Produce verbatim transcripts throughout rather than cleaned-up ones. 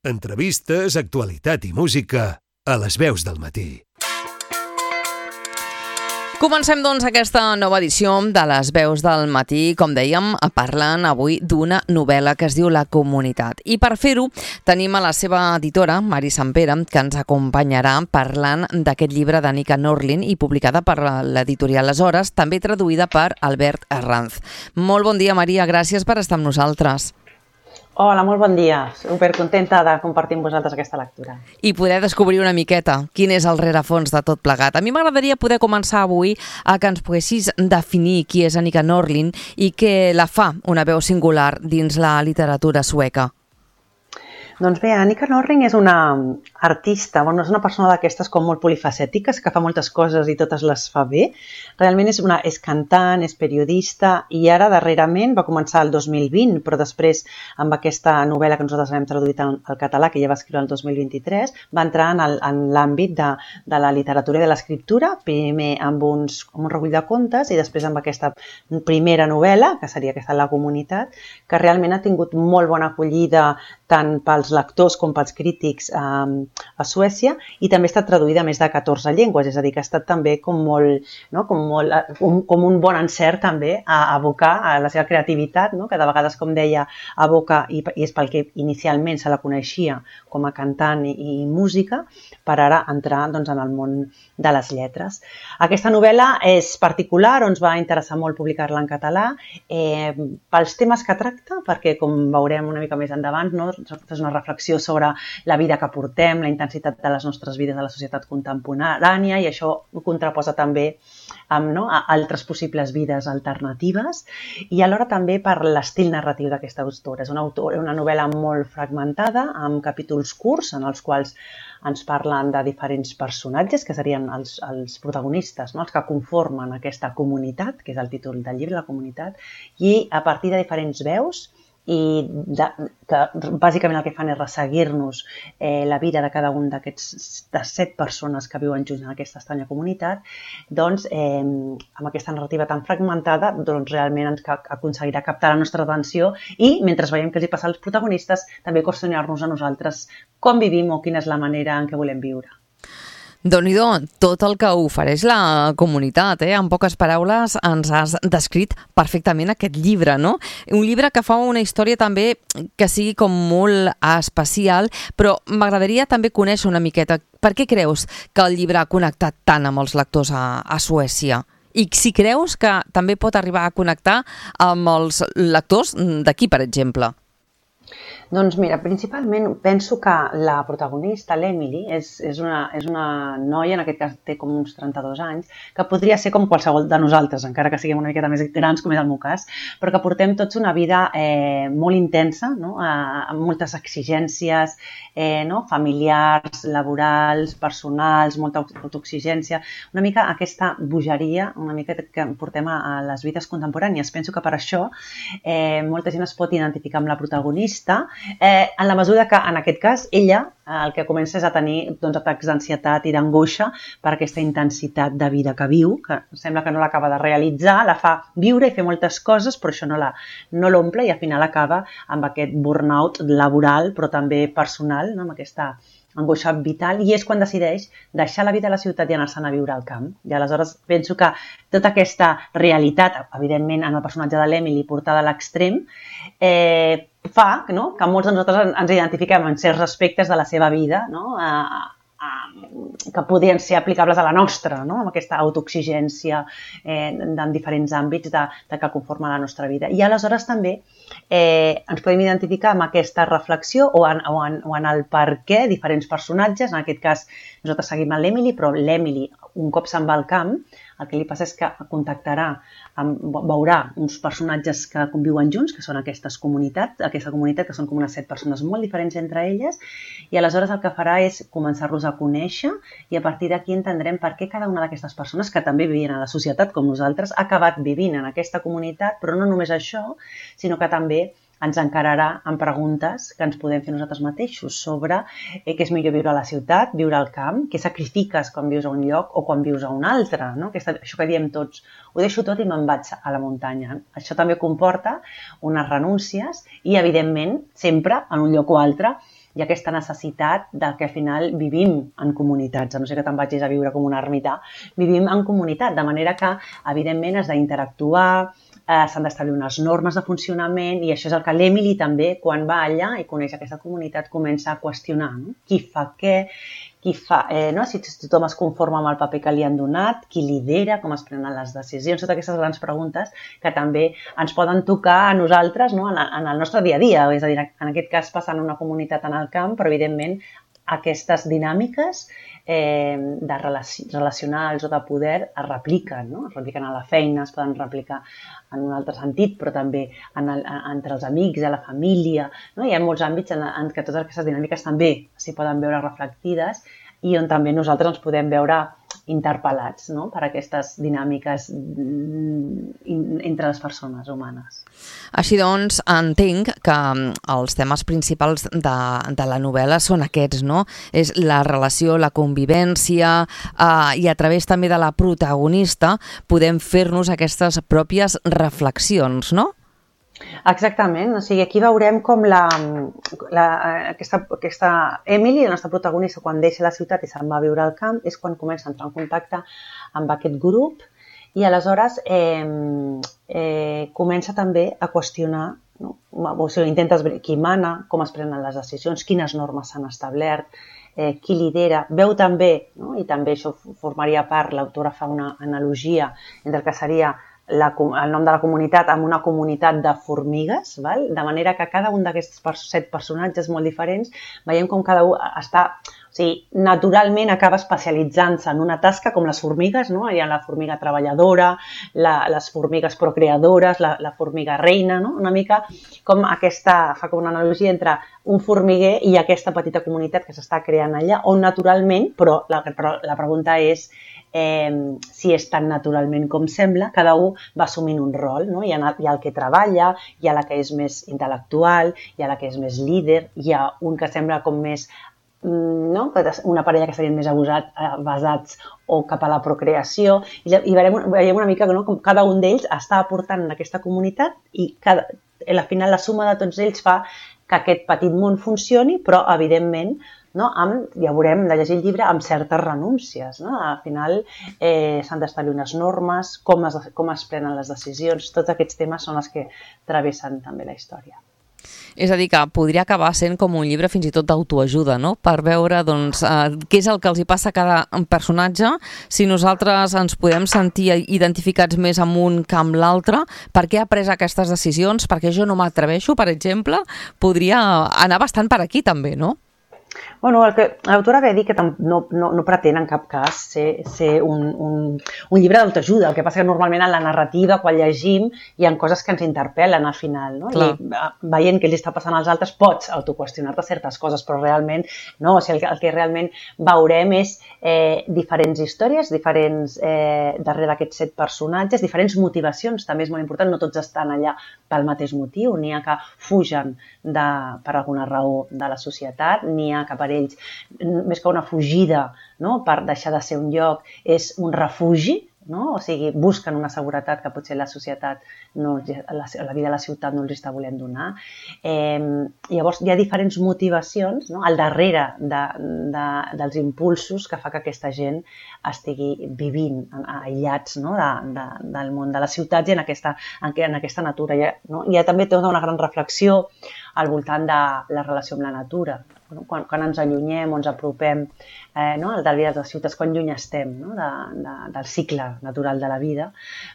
Entrevistes, actualitat i música a les veus del matí. Comencem, doncs, aquesta nova edició de les veus del matí, com dèiem, parlant avui d'una novel·la que es diu La Comunitat. I per fer-ho tenim a la seva editora, Mari Sampere, que ens acompanyarà parlant d'aquest llibre de Nika Norlin i publicada per l'editorial Les Hores, també traduïda per Albert Herranz. Molt bon dia, Maria, gràcies per estar amb nosaltres. Hola, molt bon dia. Supercontenta de compartir amb vosaltres aquesta lectura. I poder descobrir una miqueta quin és el rerefons de tot plegat. A mi m'agradaria poder començar avui a que ens poguessis definir qui és Nika Norlin i què la fa una veu singular dins la literatura sueca. Doncs bé, Nika Norlin és una artista, bueno, és una persona d'aquestes com molt polifacètiques, que fa moltes coses i totes les fa bé. Realment és, una, és cantant, és periodista i ara darrerament va començar el dos mil vint, però després amb aquesta novel·la que nosaltres hem traduït al català, que ja va escriure el dos mil vint-i-tres, va entrar en, el, en l'àmbit de, de la literatura i de l'escriptura, primer amb, uns, amb un recull de contes i després amb aquesta primera novel·la, que seria aquesta La Comunitat, que realment ha tingut molt bona acollida tant pels lectors com pels crítics eh, a Suècia, i també ha estat traduïda a més de catorze llengües, és a dir, que ha estat també com molt, no? com, molt un, com un bon encert també a abocar a la seva creativitat, no? Que de vegades, com deia, aboca, i, i és pel que inicialment se la coneixia com a cantant i, i música, per ara entrar doncs, en el món de les lletres. Aquesta novel·la és particular, ens va interessar molt publicar-la en català, eh, pels temes que tracta, perquè com veurem una mica més endavant, no? És una reflexió sobre la vida que portem, la intensitat de les nostres vides a la societat contemporània, i això ho contraposa també amb no, altres possibles vides alternatives, i alhora també per l'estil narratiu d'aquesta autora. És una, autora, una novel·la molt fragmentada, amb capítols curts en els quals ens parlen de diferents personatges, que serien els, els protagonistes, no? Els que conformen aquesta comunitat, que és el títol del llibre, La Comunitat, i a partir de diferents veus, i de, que bàsicament el que fan és resseguir-nos eh, la vida de cada un d'aquests de set persones que viuen junts en aquesta estranya comunitat, doncs eh, amb aquesta narrativa tan fragmentada doncs realment ens aconseguirà captar la nostra atenció i mentre veiem què els hi passa als protagonistes també qüestionar-nos a nosaltres com vivim o quina és la manera en què volem viure. Déu-n'hi-do, tot el que ofereix la comunitat, eh? En poques paraules ens has descrit perfectament aquest llibre, no? Un llibre que fa una història també que sigui com molt especial, però m'agradaria també conèixer una miqueta per què creus que el llibre ha connectat tant amb els lectors a, a Suècia? I si creus que també pot arribar a connectar amb els lectors d'aquí, per exemple? Doncs mira, principalment penso que la protagonista, l'Emily, és, és, una, és una noia, en aquest cas té com uns trenta-dos anys, que podria ser com qualsevol de nosaltres, encara que siguem una miqueta més grans, com és el meu cas, però que portem tots una vida eh, molt intensa, no? eh, amb moltes exigències eh, no? familiars, laborals, personals, molta autoexigència, una mica aquesta bogeria, una mica que portem a, a les vides contemporànies. Penso que per això eh, molta gent es pot identificar amb la protagonista, Eh, en la mesura que, en aquest cas, ella eh, el que comença és a tenir doncs, atacs d'ansietat i d'angoixa per aquesta intensitat de vida que viu, que sembla que no l'acaba de realitzar, la fa viure i fer moltes coses, però això no la, no l'omple i al final acaba amb aquest burnout laboral, però també personal, no? Amb aquesta angoixa vital, i és quan decideix deixar la vida a la ciutat i anar-se'n a viure al camp. I aleshores penso que tota aquesta realitat, evidentment en el personatge de l'Emily portada a l'extrem, eh, fa no? que molts de nosaltres ens identifiquem en certs aspectes de la seva vida, no? eh, que podrien ser aplicables a la nostra, no? Amb aquesta autoexigència eh, en diferents àmbits de, de que conforma la nostra vida. I aleshores també eh, ens podem identificar amb aquesta reflexió o en, o, en, o en el per què diferents personatges, en aquest cas nosaltres seguim a l'Emily, però l'Emily un cop se'n va al camp, el que li passa és que contactarà, amb, veurà uns personatges que conviuen junts, que són aquestes comunitats, aquesta comunitat que són com unes set persones molt diferents entre elles, i aleshores el que farà és començar-los a conèixer i a partir d'aquí entendrem per què cada una d'aquestes persones, que també vivien a la societat com nosaltres, ha acabat vivint en aquesta comunitat, però no només això, sinó que també ens encararà amb preguntes que ens podem fer nosaltres mateixos sobre eh, què és millor viure a la ciutat, viure al camp, què sacrifiques quan vius a un lloc o quan vius a un altre, no? Aquesta, això que diem tots, ho deixo tot i me'n vaig a la muntanya. Això també comporta unes renúncies i, evidentment, sempre, en un lloc o altre, hi ha aquesta necessitat de que al final vivim en comunitats, a no ser que te'n vagis a viure com un ermità, vivim en comunitat, de manera que, evidentment, has d'interactuar, eh, s'han d'establir unes normes de funcionament i això és el que l'Emily també, quan va allà i coneix aquesta comunitat, comença a qüestionar, no? Qui fa què, qui fa, eh, no? si tothom es conforma amb el paper que li han donat, qui lidera, com es prenen les decisions, totes aquestes grans preguntes que també ens poden tocar a nosaltres, no? en, en el nostre dia a dia. És a dir, en aquest cas passa en una comunitat en el camp, però evidentment aquestes dinàmiques eh, de relaci relacionals o de poder es repliquen, no? Es repliquen a la feina, es poden replicar en un altre sentit, però també en el, entre els amics, a la família, no? Hi ha molts àmbits en, en què totes aquestes dinàmiques també s'hi poden veure reflectides i on també nosaltres ens podem veure interpel·lats, no? Per aquestes dinàmiques entre les persones humanes. Així doncs, entenc que els temes principals de, de la novel·la són aquests, no? És la relació, la convivència eh, i a través també de la protagonista podem fer-nos aquestes pròpies reflexions, no? Exactament, o sigui, aquí veurem com la, la, aquesta, aquesta Emily, la nostra protagonista, quan deixa la ciutat i se'n va a viure al camp, és quan comença a entrar en contacte amb aquest grup i aleshores eh, eh, comença també a qüestionar, no? O sigui, intenta esbrinar qui mana, com es prenen les decisions, quines normes s'han establert, eh, qui lidera, veu també, no? I també això formaria part, l'autora fa una analogia entre el que seria La, el nom de la comunitat amb una comunitat de formigues, val? De manera que cada un d'aquests set personatges molt diferents veiem com cada un està, o sigui, naturalment acaba especialitzant-se en una tasca com les formigues, no? Hi ha la formiga treballadora, la, les formigues procreadores, la, la formiga reina, no? Una mica com aquesta, fa com una analogia entre un formiguer i aquesta petita comunitat que s'està creant allà, on naturalment, però la, però la pregunta és Eh, si és tan naturalment com sembla, cada un va assumint un rol, no? Hi ha, hi ha el que treballa, hi ha la que és més intel·lectual, hi ha la que és més líder, hi ha un que sembla com més, no? Una parella que estarien més abusat, basats o cap a la procreació, i, i veiem, veiem una mica, no? Com cada un d'ells està aportant en aquesta comunitat i cada, al final la suma de tots ells fa que aquest petit món funcioni, però evidentment no? Amb, ja veurem, de llegir el llibre, amb certes renúncies. No? Al final eh, s'han d'establir unes normes, com es, com es prenen les decisions, tots aquests temes són els que travessen també la història. És a dir, que podria acabar sent com un llibre fins i tot d'autoajuda, no? Per veure doncs, eh, què és el que els hi passa a cada personatge, si nosaltres ens podem sentir identificats més amb un que amb l'altre, per què ha pres aquestes decisions, perquè jo no m'atreveixo, per exemple, podria anar bastant per aquí també, no? Bueno, el que l'autora ve a dir que no, no, no pretén en cap cas ser, ser un, un, un llibre d'autoajuda. El que passa que normalment en la narrativa, quan llegim, hi ha coses que ens interpel·len al final. No? I veient què li està passant als altres, pots autoqüestionar-te certes coses, però realment no. O sigui, el, el que realment veurem és eh, diferents històries, diferents eh, darrere d'aquests set personatges, diferents motivacions, també és molt important, no tots estan allà pel mateix motiu, n'hi ha que fugen de, per alguna raó de la societat, n'hi ha que per ells, més que una fugida, no? Per deixar de ser un lloc, és un refugi, no? O sigui, busquen una seguretat que potser la societat, no, la, la vida a la ciutat no els està volent donar. Eh, llavors, hi ha diferents motivacions, no? Al darrere de, de, dels impulsos que fa que aquesta gent estigui vivint aïllats, no? de, de, del món de les ciutats i en aquesta, en, en aquesta natura. Hi ha, no? Hi ha també tota una gran reflexió al voltant de la relació amb la natura. Quan, quan ens allunyem o ens apropem eh, no? del vida de les ciutats, quan lluny estem, no? de, de, del cicle natural de la vida,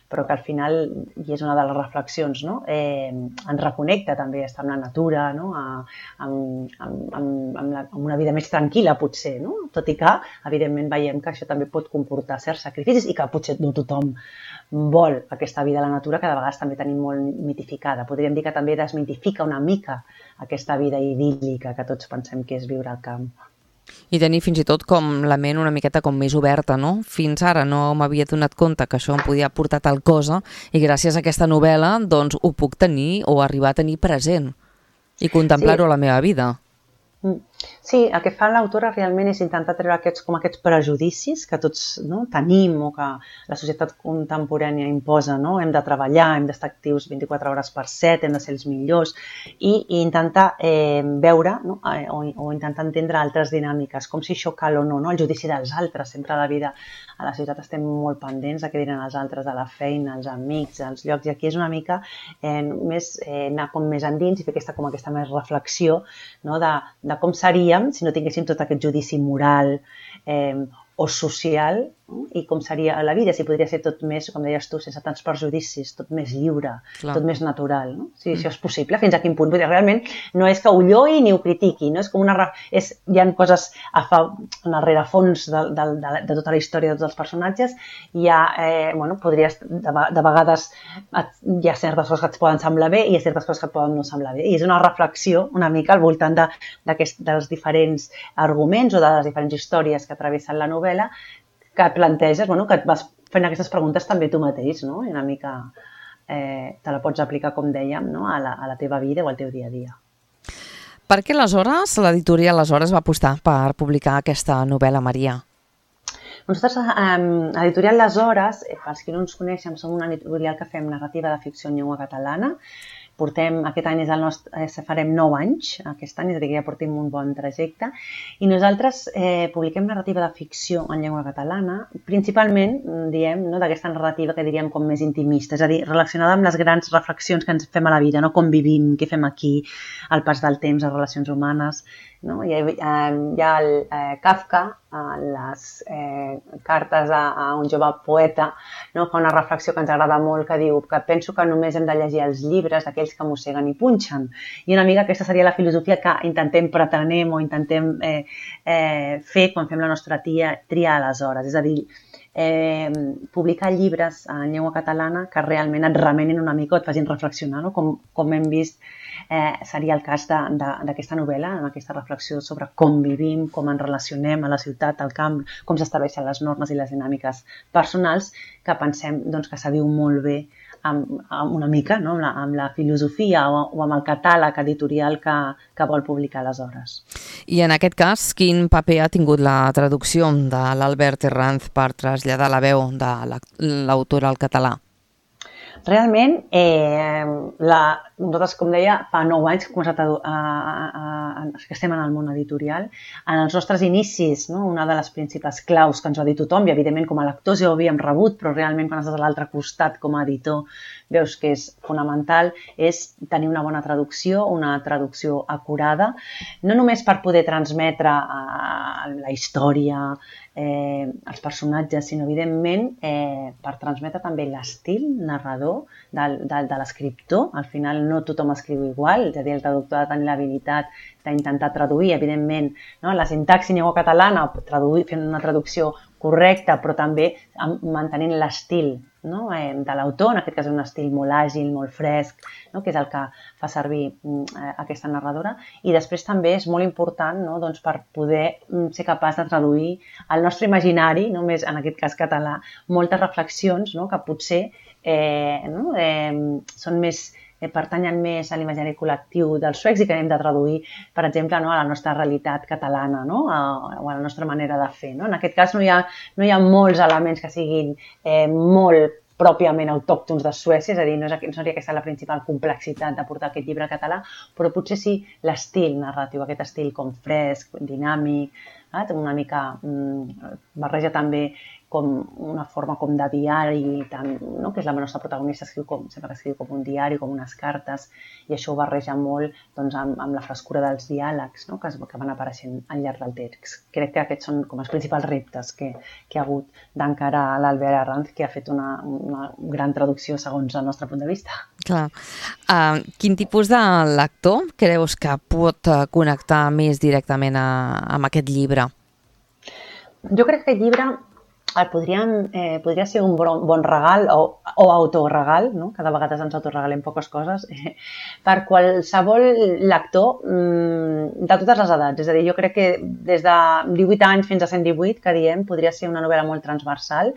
però que al final, i és una de les reflexions, no? eh, ens reconnecta també a estar amb la natura, no? a, amb, amb, amb, amb, la, amb una vida més tranquil·la potser, no? Tot i que evidentment veiem que això també pot comportar certs sacrificis i que potser no tothom vol aquesta vida a la natura, que de vegades també tenim molt mitificada. Podríem dir que també desmitifica una mica aquesta vida idíl·lica que tots pensem que és viure al camp. I tenir fins i tot com la ment una miqueta com més oberta, no? Fins ara no m'havia donat compte que això em podia portar tal cosa i gràcies a aquesta novel·la doncs ho puc tenir o arribar a tenir present i contemplar-ho sí. a la meva vida. Sí, el que fa l'autora realment és intentar treure aquests, com aquests prejudicis que tots no, tenim o que la societat contemporània imposa, no? Hem de treballar, hem d'estar actius vint-i-quatre hores per set, hem de ser els millors i, i intentar eh, veure no? eh, o, o intentar entendre altres dinàmiques, com si això cal o no, no? El judici dels altres, sempre a la vida a la ciutat estem molt pendents de què diran els altres, de la feina, els amics, els llocs, i aquí és una mica eh, més eh, anar com més endins i fer aquesta, com aquesta més reflexió no? de, de com seríem si no tinguéssim tot aquest judici moral eh, o social, no? I com seria la vida, si podria ser tot més, com deies tu, sense tants perjudicis, tot més lliure, Clar. Tot més natural, no? Si mm. això és possible, fins a quin punt. Perquè realment no és que ho lloi ni ho critiqui, no? És com una... És, hi ha coses a fa, en el rerefons de, de, de, de tota la història de tots els personatges, hi ha, eh, bueno, podries, de, de vegades hi ha certes coses que et poden semblar bé i hi ha certes coses que et poden no semblar bé. I és una reflexió una mica al voltant de, dels diferents arguments o de les diferents històries que travessen la novel·la que et planteges, bueno, que et vas fent aquestes preguntes també tu mateix, no? I una mica eh, te la pots aplicar, com dèiem, no? a, la, a la teva vida o al teu dia a dia. Per què aleshores l'editorial aleshores va apostar per publicar aquesta novel·la, Maria? Nosaltres, eh, l'editorial Les Hores, eh, pels qui no ens coneixen, som una editorial que fem narrativa de ficció en llengua catalana. Portem, aquest any és el nostre, eh, farem nou anys, aquest any, és a dir, que ja portem un bon trajecte, i nosaltres eh, publiquem narrativa de ficció en llengua catalana, principalment, diem, no, d'aquesta narrativa que diríem com més intimista, és a dir, relacionada amb les grans reflexions que ens fem a la vida, no? Com vivim, què fem aquí, el pas del temps, les relacions humanes, no? Hi ha, hi ha el eh, Kafka, eh, les eh, cartes a, a un jove poeta, no? Fa una reflexió que ens agrada molt, que diu que penso que només hem de llegir els llibres d'aquells que mosseguen i punxen. I una mica aquesta seria la filosofia que intentem pretenem o intentem eh, eh, fer quan fem la nostra tia, tria aleshores. És a dir, eh, publicar llibres en llengua catalana que realment et remenin una mica o et facin reflexionar, no? Com, com hem vist eh, seria el cas d'aquesta novel·la, en aquesta reflexió sobre com vivim, com ens relacionem a la ciutat, al camp, com s'estableixen les normes i les dinàmiques personals, que pensem doncs, que s'adiu molt bé amb, amb una mica, no? amb, la, amb la filosofia o, o amb el catàleg editorial que, que vol publicar aleshores. I en aquest cas, quin paper ha tingut la traducció de l'Albert Herranz per traslladar la veu de l'autora al català? Realment, eh, la, nosaltres, com deia, fa nou anys que, començat a, a, a, a, que estem en el món editorial. En els nostres inicis, no, una de les principals claus que ens va dir tothom, i evidentment com a lectors ja ho havíem rebut, però realment quan estàs a l'altre costat com a editor veus que és fonamental, és tenir una bona traducció, una traducció acurada, no només per poder transmetre eh, la història, eh, els personatges, sinó evidentment eh, per transmetre també l'estil narrador de, de, de l'escriptor. Al final no tothom escriu igual, és a dir, el traductor ha de tenir l'habilitat d'intentar traduir, evidentment, no? La sintaxi en llengua catalana, traduir, fent una traducció correcta, però també mantenint l'estil, no? eh, de l'autor, en aquest cas és un estil molt àgil, molt fresc, no? Que és el que fa servir eh, aquesta narradora. I després també és molt important, no? Doncs per poder ser capaç de traduir al nostre imaginari, només en aquest cas català, moltes reflexions, no? Que potser eh, no? eh, són més eh, pertanyen més a l'imaginari col·lectiu dels suecs i que hem de traduir, per exemple, no? A la nostra realitat catalana, no? a, o a la nostra manera de fer. No? En aquest cas no hi ha, no hi ha molts elements que siguin eh, molt pròpiament autòctons de Suècia, és a dir, no, és, no seria aquesta la principal complexitat de portar aquest llibre català, però potser sí l'estil narratiu, aquest estil com fresc, dinàmic, eh? Una mica mm, barreja també com una forma com de diari, tant, no? Que és la nostra protagonista, escriu com, sempre que escriu com un diari, com unes cartes, i això ho barreja molt doncs, amb, amb la frescura dels diàlegs, no? que, es, que van apareixent al llarg del text. Crec que aquests són com els principals reptes que, que ha hagut d'encarar l'Albert Herranz, que ha fet una, una gran traducció segons el nostre punt de vista. Clar. Uh, quin tipus de lector creus que pot connectar més directament a, amb aquest llibre? Jo crec que aquest llibre el podríem, eh, podria ser un bon, bon regal o, o autoregal, no? Cada vegada ens autoregalem poques coses, eh, per qualsevol lector mm, de totes les edats. És a dir, jo crec que des de divuit anys fins a cent divuit, que diem, podria ser una novel·la molt transversal,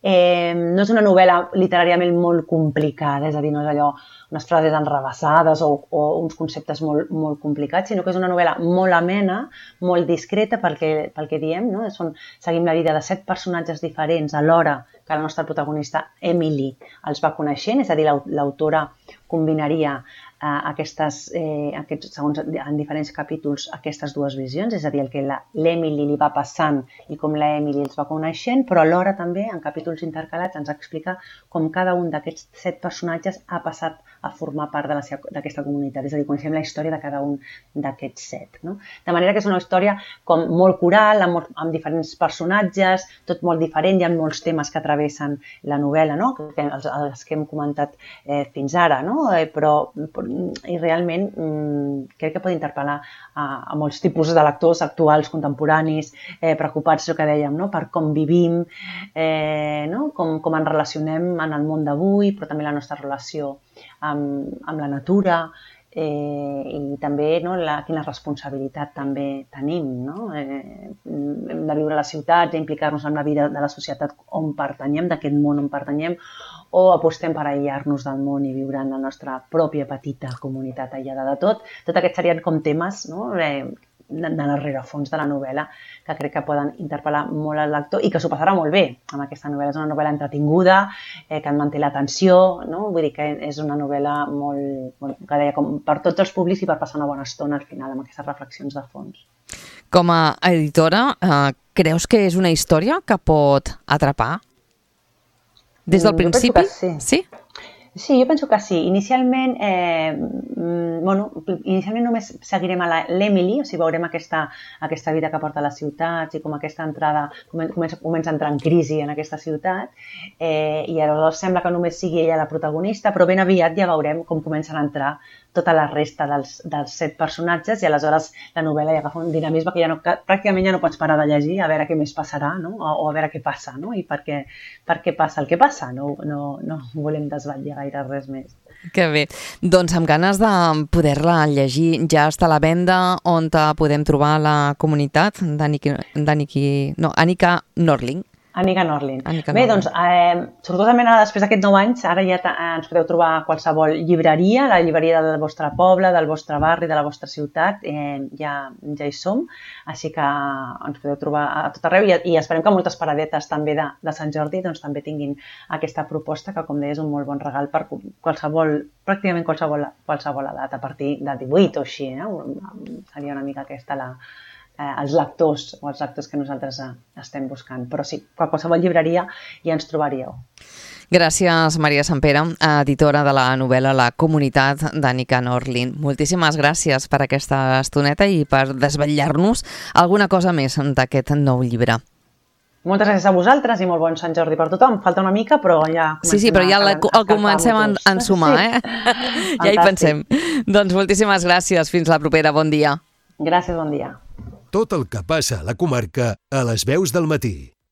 Eh, no és una novel·la literàriament molt complicada, és a dir, no és allò unes frases enrevessades o, o uns conceptes molt, molt complicats, sinó que és una novel·la molt amena, molt discreta pel que, pel que diem, no? Són, seguim la vida de set personatges diferents alhora que la nostra protagonista Emily els va coneixent, és a dir, l'autora combinaria eh, aquestes, eh, aquests, segons en diferents capítols aquestes dues visions, és a dir, el que l'Emily li va passant i com l'Emily els va coneixent, però alhora també en capítols intercalats ens explica com cada un d'aquests set personatges ha passat a formar part d'aquesta comunitat, és a dir, coneixem la història de cada un d'aquests set. No? De manera que és una història com molt coral, amb, amb diferents personatges, tot molt diferent, hi ha molts temes que travessen la novel·la, no? que, els, els que hem comentat eh, fins ara, no? eh, però i realment mm, crec que pot interpel·lar a, a molts tipus de lectors actuals, contemporanis, eh, preocupats, el que dèiem, no? per com vivim, eh, no? com, com ens relacionem en el món d'avui, però també la nostra relació amb, amb la natura, eh, i també no, la, quina responsabilitat també tenim. No? Eh, hem de viure a les ciutats, implicar-nos en la vida de la societat on pertanyem, d'aquest món on pertanyem, o apostem per aïllar-nos del món i viure en la nostra pròpia petita comunitat aïllada de tot. Tot aquests serien com temes, no? eh, de, de l'errerefons de la novel·la que crec que poden interpel·lar molt al lector i que s'ho passarà molt bé amb aquesta novel·la. És una novel·la entretinguda, eh, que en manté l'atenció, no? Vull dir que és una novel·la molt, bueno, que deia, com per tots els públics i per passar una bona estona al final amb aquestes reflexions de fons. Com a editora, eh, creus que és una història que pot atrapar? Des del principi? Sí. Sí? Sí, jo penso que sí. Inicialment, eh, bueno, inicialment només seguirem a l'Emily, o sigui, veurem aquesta, aquesta vida que porta a les ciutats i com aquesta entrada comença, comença a entrar en crisi en aquesta ciutat, eh, i llavors sembla que només sigui ella la protagonista, però ben aviat ja veurem com comencen a entrar tota la resta dels, dels set personatges i aleshores la novel·la ja agafa un dinamisme que ja no, que pràcticament ja no pots parar de llegir a veure què més passarà, no? o, o a veure què passa, no? I per què, per què passa el que passa. No, no, no volem desvetllar gaire res més. Que bé. Doncs amb ganes de poder-la llegir. Ja està a la venda, on podem trobar la comunitat d'Annika no, Annika Norling. Annika Norling. Annika Bé, Norling. doncs, eh, sortosament ara, després d'aquests nou anys, ara ja ens podeu trobar a qualsevol llibreria, la llibreria del vostre poble, del vostre barri, de la vostra ciutat, eh, ja, ja hi som, així que ens podeu trobar a tot arreu i, i esperem que moltes paradetes també de, de Sant Jordi doncs, també tinguin aquesta proposta, que com deia és un molt bon regal per qualsevol, pràcticament qualsevol, qualsevol edat, a partir de divuit o així, eh? Seria una mica aquesta la... Eh, els lectors o els lectors que nosaltres eh, estem buscant. Però sí, a qualsevol llibreria ja ens trobaríeu. Gràcies, Maria Sampere, editora de la novel·la La comunitat d'Annika Norling. Moltíssimes gràcies per aquesta estoneta i per desvetllar-nos alguna cosa més d'aquest nou llibre. Moltes gràcies a vosaltres i molt bon Sant Jordi per tothom. Falta una mica, però ja comencem, sí, sí, però ja a, a el comencem a ensumar, eh? Ja hi pensem. Doncs moltíssimes gràcies. Fins la propera. Bon dia. Gràcies, bon dia. Tot el que passa a la comarca a les veus del matí.